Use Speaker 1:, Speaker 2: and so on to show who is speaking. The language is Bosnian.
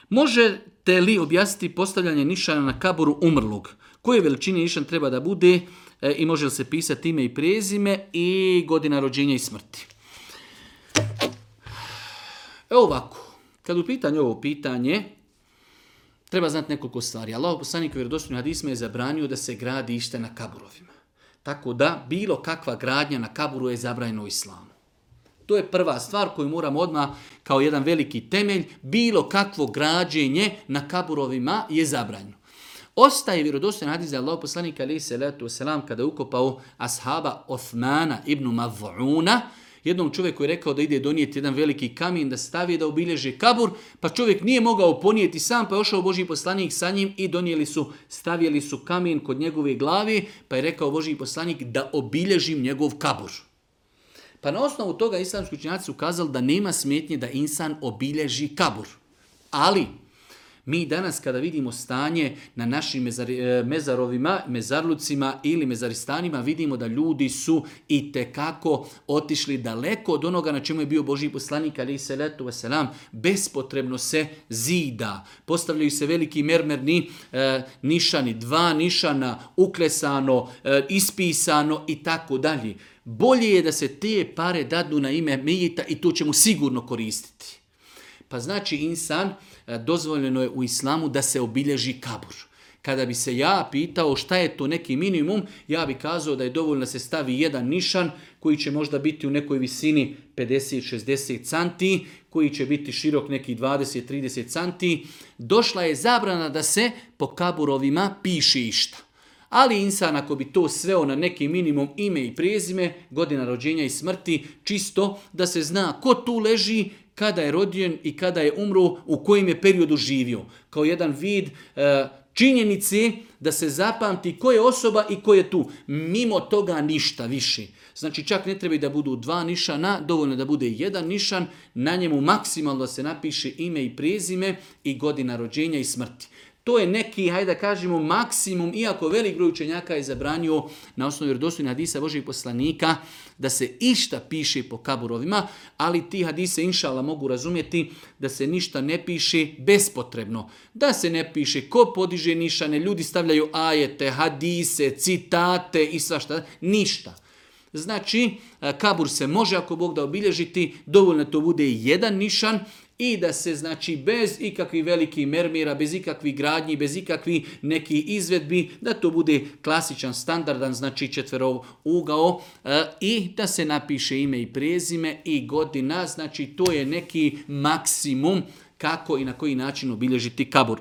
Speaker 1: Možete li objasniti postavljanje nišana na kaburu umrlog? Koje veličine nišan treba da bude i može li se pisati ime i prezime i godina rođenja i smrti? Evo ovako, kad u pitanju ovo pitanje, treba znati nekoliko stvari. Allahov poslanik u vjerodostojnim hadisima je zabranio da se gradi išta na kaburovima. Tako da bilo kakva gradnja na kaburu je zabranjena u islamu. To je prva stvar koju moramo odmah kao jedan veliki temelj. Bilo kakvo građenje na kaburovima je zabranjeno. Ostaje vjerodostojan hadis da Allahov poslanik alejhi selatu vesselam kada je ukopao ashaba Osmana ibn Maz'una, jednom čovjeku je rekao da ide donijeti jedan veliki kamen da stavi da obilježi kabur, pa čovjek nije mogao ponijeti sam, pa je ošao Božji poslanik sa njim i stavili su kamen kod njegove glave, pa je rekao Božji poslanik da obilježim njegov kabur. Pa na osnovu toga islamski učenjaci su kazali da nema smetnje da insan obilježi kabur. Ali mi danas kada vidimo stanje na našim mezarovima, mezarlucima ili mezaristanima, vidimo da ljudi su i tekako otišli daleko od onoga na čemu je bio Božji poslanik alejhi selatu vesselam. Bespotrebno se zida. Postavljaju se veliki mermerni nišani, 2 nišana, uklesano, ispisano i tako dalje. Bolje je da se te pare dadnu na ime mejita i to će mu sigurno koristiti. Pa znači insan, dozvoljeno je u islamu da se obilježi kabur. Kada bi se ja pitao šta je to neki minimum, ja bi kazao da je dovoljno da se stavi jedan nišan koji će možda biti u nekoj visini 50-60 cm, koji će biti širok nekih 20-30 cm. Došla je zabrana da se po kaburovima piše išta. Ali insan ako bi to sveo na neki minimum ime i prezime, godina rođenja i smrti, čisto da se zna ko tu leži, kada je rođen i kada je umro, u kojem je periodu živio. Kao jedan vid činjenice da se zapamti ko je osoba i ko je tu. Mimo toga ništa više. Znači čak ne treba da budu 2 nišana, dovoljno da bude 1 nišan, na njemu maksimalno da se napiše ime i prezime i godina rođenja i smrti. To je neki, hajde da kažemo, maksimum, iako velik broj učenjaka je zabranio na osnovu vjerodostojnih hadisa Božjih poslanika da se išta piše po kaburovima, ali ti hadise inšala mogu razumjeti da se ništa ne piše bespotrebno. Da se ne piše ko podiže nišane, ljudi stavljaju ajete, hadise, citate i svašta, ništa. Znači, kabur se može ako Bog da obilježiti, dovoljno to bude 1 nišan, i da se znači bez ikakvih velikih mermira, bez ikakvih gradnji, bez ikakvih nekih izvedbi, da to bude klasičan, standardan, znači 4-ugao i da se napiše ime i prezime i godina, znači to je neki maksimum kako i na koji način obilježiti kabur.